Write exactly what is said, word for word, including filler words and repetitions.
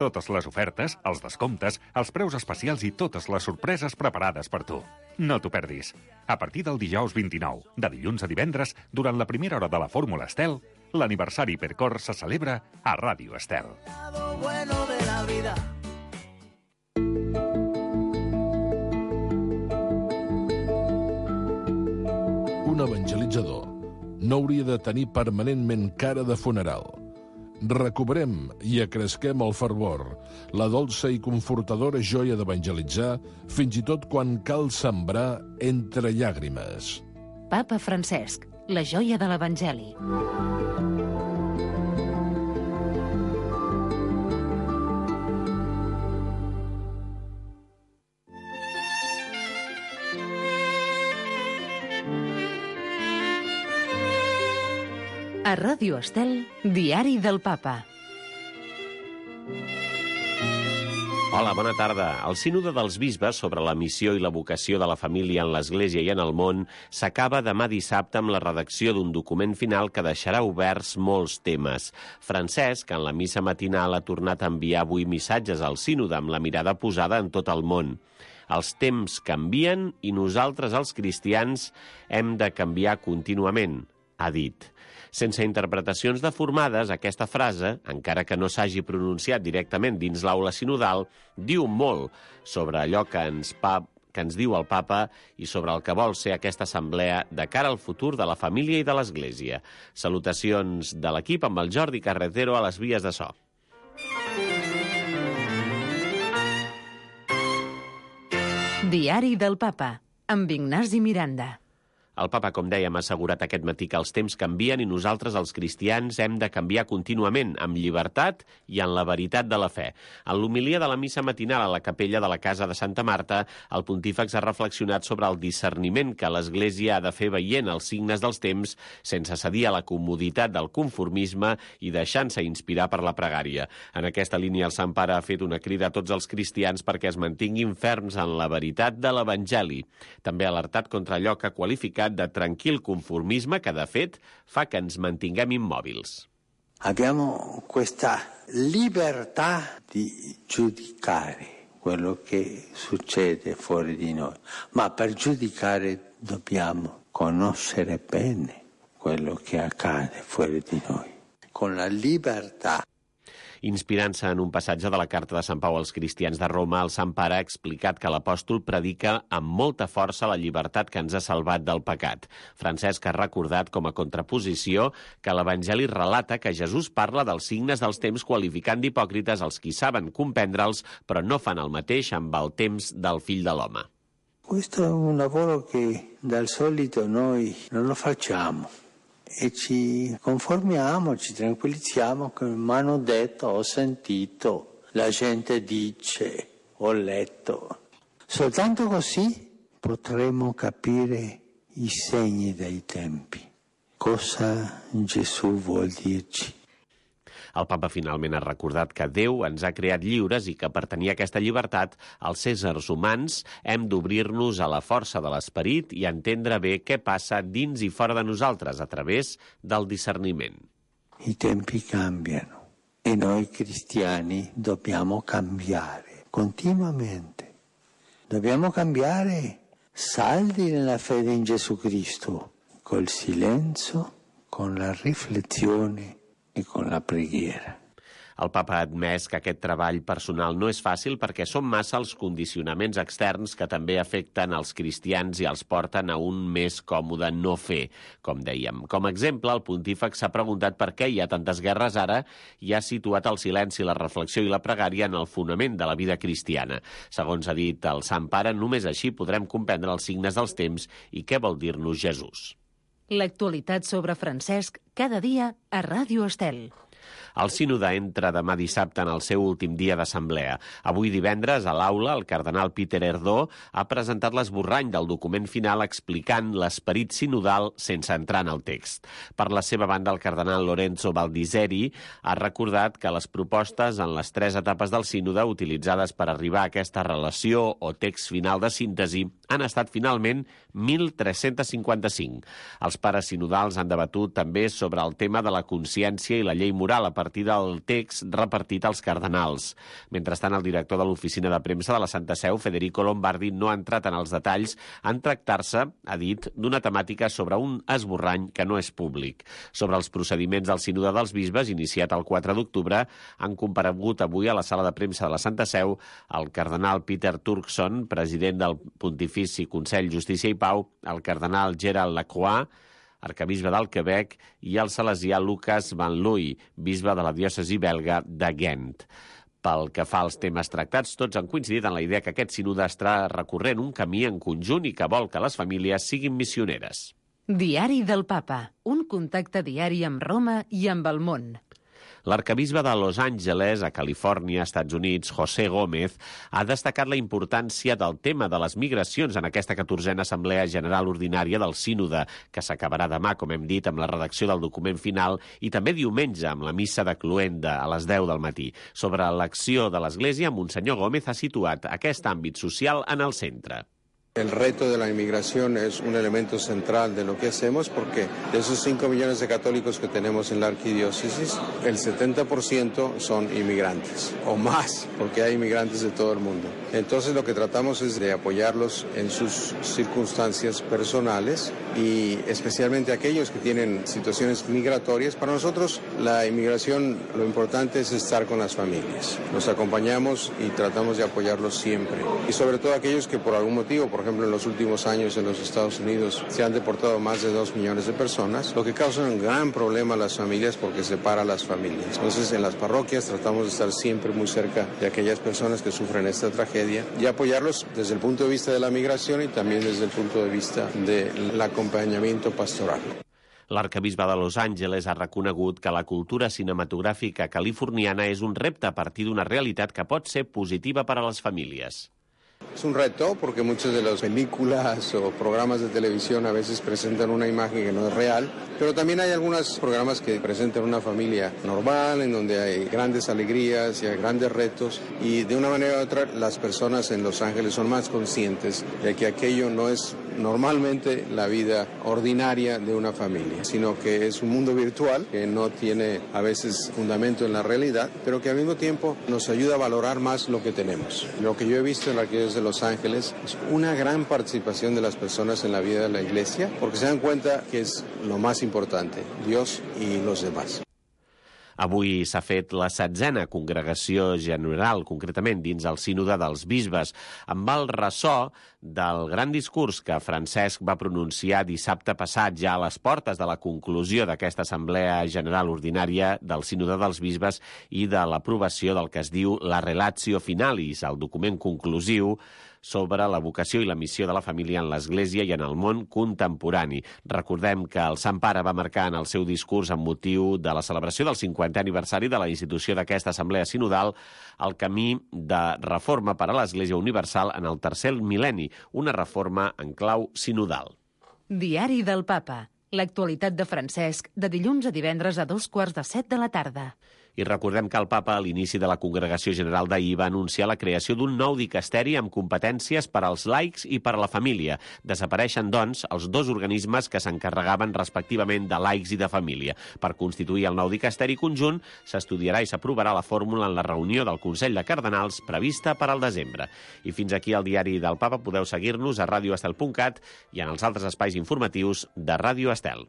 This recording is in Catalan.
Totes les ofertes, els descomptes, els preus especials i totes les sorpreses preparades per tu. No t'ho perdis. A partir del dijous vint-i-nou, de dilluns a divendres, durant la primera hora de la Fórmula Estel, l'aniversari Hipercor se celebra a Ràdio Estel. Un evangelitzador no hauria de tenir permanentment cara de funeral. Recuperem i acresquem el fervor, la dolça i confortadora joia d'evangelitzar, fins i tot quan cal sembrar entre llàgrimes. Papa Francesc, la joia de l'Evangeli. A Ràdio Estel, Diari del Papa. Hola, bona tarda. El Sínode dels Bisbes sobre la missió i la vocació de la família en l'Església i en el món s'acaba demà dissabte amb la redacció d'un document final que deixarà oberts molts temes. Francesc, en la missa matinal, ha tornat a enviar avui missatges al Sínode amb la mirada posada en tot el món. Els temps canvien i nosaltres, els cristians, hem de canviar contínuament, ha dit. Sense interpretacions deformades, aquesta frase, encara que no s'hagi pronunciat directament dins l'aula sinodal, diu molt sobre allò que ens, pa, que ens diu el Papa i sobre el que vol ser aquesta assemblea de cara al futur de la família i de l'Església. Salutacions de l'equip amb el Jordi Carretero a les vies de so. Diari del Papa, amb Ignasi Miranda. El Papa, com dèiem, ha assegurat aquest matí que els temps canvien i nosaltres, els cristians, hem de canviar contínuament, amb llibertat i en la veritat de la fe. En l'homilia de la missa matinal a la capella de la Casa de Santa Marta, el pontífex ha reflexionat sobre el discerniment que l'Església ha de fer veient els signes dels temps sense cedir a la comoditat del conformisme i deixant-se inspirar per la pregària. En aquesta línia, el Sant Pare ha fet una crida a tots els cristians perquè es mantinguin ferms en la veritat de l'Evangeli. També ha alertat contra allò que ha qualificat de tranquil conformisme que, de fet, fa que ens mantinguem immòbils. Abbiamo questa libertà di giudicare quello che succede fuori di noi, ma per giudicare dobbiamo conoscere bene quello che accade fuori di noi. Con la libertà. Inspirant-se en un passatge de la Carta de Sant Pau als cristians de Roma, el Sant Pare ha explicat que l'apòstol predica amb molta força la llibertat que ens ha salvat del pecat. Francesc ha recordat com a contraposició que l'Evangeli relata que Jesús parla dels signes dels temps qualificant d'hipòcrites els qui saben comprendre'ls però no fan el mateix amb el temps del fill de l'home. Questo è un lavoro che dal solito noi non lo facciamo. E ci conformiamo, ci tranquillizziamo che mi hanno detto, ho sentito, la gente dice, ho letto. Soltanto così potremo capire i segni dei tempi. Cosa Gesù vuol dirci? El Papa finalment ha recordat que Déu ens ha creat lliures i que per tenir aquesta llibertat, els éssers humans hem d'obrir-nos a la força de l'esperit i entendre bé què passa dins i fora de nosaltres a través del discerniment. I tempi cambiano e noi cristiani dobbiamo cambiare continuamente. Dobbiamo cambiare saldi nella fede in Gesù Cristo, col silenzio, con la riflessione i con la preghiera. El Papa ha admès que aquest treball personal no és fàcil perquè són massa els condicionaments externs que també afecten els cristians i els porten a un més còmode no fer, com dèiem. Com a exemple, el pontífex s'ha preguntat per què hi ha tantes guerres ara i ha situat el silenci, la reflexió i la pregària en el fonament de la vida cristiana. Segons ha dit el Sant Pare, només així podrem comprendre els signes dels temps i què vol dir-nos Jesús. L'actualitat sobre Francesc cada dia a Ràdio Estel. El sínode entra demà dissabte en el seu últim dia d'assemblea. Avui divendres, a l'aula, el cardenal Peter Erdó ha presentat l'esborrany del document final explicant l'esperit sinodal sense entrar en el text. Per la seva banda, el cardenal Lorenzo Baldiseri ha recordat que les propostes en les tres etapes del sínode utilitzades per arribar a aquesta relació o text final de síntesi han estat finalment mil tres-cents cinquanta-cinc. Els pares sinodals han debatut també sobre el tema de la consciència i la llei moral temporal a partir del text repartit als cardenals. Mentrestant, el director de l'oficina de premsa de la Santa Seu, Federico Lombardi, no ha entrat en els detalls en tractar-se, ha dit, d'una temàtica sobre un esborrany que no és públic. Sobre els procediments del Sínode dels Bisbes, iniciat el quatre d'octubre, han comparegut avui a la sala de premsa de la Santa Seu el cardenal Peter Turkson, president del Pontifici Consell Justícia i Pau, el cardenal Gerald Lacroix, arcabisbe del Quebec, i el salesià Lucas Van Looy, bisbe de la diòcesi belga de Ghent. Pel que fa als temes tractats, tots han coincidit en la idea que aquest sínode està recorrent un camí en conjunt i que vol que les famílies siguin missioneres. Diari del Papa, un contacte diari amb Roma i amb el món. L'arcabisbe de Los Angeles, a Califòrnia, Estats Units, José Gómez, ha destacat la importància del tema de les migracions en aquesta catorzena Assemblea General Ordinària del Sínode, que s'acabarà demà, com hem dit, amb la redacció del document final i també diumenge amb la missa de Cluenda a les deu del matí. Sobre l'acció de l'Església, Monsenyor Gómez ha situat aquest àmbit social en el centre. El reto de la inmigración es un elemento central de lo que hacemos porque de esos cinco millones de católicos que tenemos en la arquidiócesis, el setenta por ciento son inmigrantes, o más, porque hay inmigrantes de todo el mundo. Entonces lo que tratamos es de apoyarlos en sus circunstancias personales y especialmente aquellos que tienen situaciones migratorias. Para nosotros la inmigración, lo importante es estar con las familias. Los acompañamos y tratamos de apoyarlos siempre. Y sobre todo aquellos que por algún motivo, por ejemplo, en los últimos años en los Estados Unidos se han deportado más de dos millones de personas, lo que causa un gran problema a las familias porque separa a las familias. Entonces, en las parroquias tratamos de estar siempre muy cerca de aquellas personas que sufren esta tragedia y apoyarlos desde el punto de vista de la migración y también desde el punto de vista del acompañamiento pastoral. L'arcabisbe de Los Angeles ha reconegut que la cultura cinematogràfica californiana és un repte a partir d'una realitat que pot ser positiva per a les famílies. Es un reto porque muchas de las películas o programas de televisión a veces presentan una imagen que no es real, pero también hay algunos programas que presentan una familia normal, en donde hay grandes alegrías y hay grandes retos, y de una manera u otra las personas en Los Ángeles son más conscientes de que aquello no es normalmente la vida ordinaria de una familia, sino que es un mundo virtual que no tiene a veces fundamento en la realidad, pero que al mismo tiempo nos ayuda a valorar más lo que tenemos. Lo que yo he visto en la arquidiócesis de Los Ángeles es una gran participación de las personas en la vida de la iglesia, porque se dan cuenta que es lo más importante, Dios y los demás. Avui s'ha fet la setzena congregació general, concretament dins el Sínode dels Bisbes, amb el ressò del gran discurs que Francesc va pronunciar dissabte passat, ja a les portes de la conclusió d'aquesta Assemblea General Ordinària del Sínode dels Bisbes i de l'aprovació del que es diu la Relatio Finalis, el document conclusiu sobre la vocació i la missió de la família en l'Església i en el món contemporani. Recordem que el Sant Pare va marcar en el seu discurs amb motiu de la celebració del cinquantè aniversari de la institució d'aquesta Assemblea Sinodal el camí de reforma per a l'Església Universal en el tercer mil·lenni, una reforma en clau sinodal. Diari del Papa. L'actualitat de Francesc, de dilluns a divendres a dos quarts de set de la tarda. I recordem que el papa, a l'inici de la Congregació General d'ahir, va anunciar la creació d'un nou dicasteri amb competències per als laics i per a la família. Desapareixen, doncs, els dos organismes que s'encarregaven respectivament de laics i de família. Per constituir el nou dicasteri conjunt, s'estudiarà i s'aprovarà la fórmula en la reunió del Consell de Cardenals prevista per al desembre. I fins aquí el diari del papa. Podeu seguir-nos a radio estel punt cat i en els altres espais informatius de Ràdio Estel.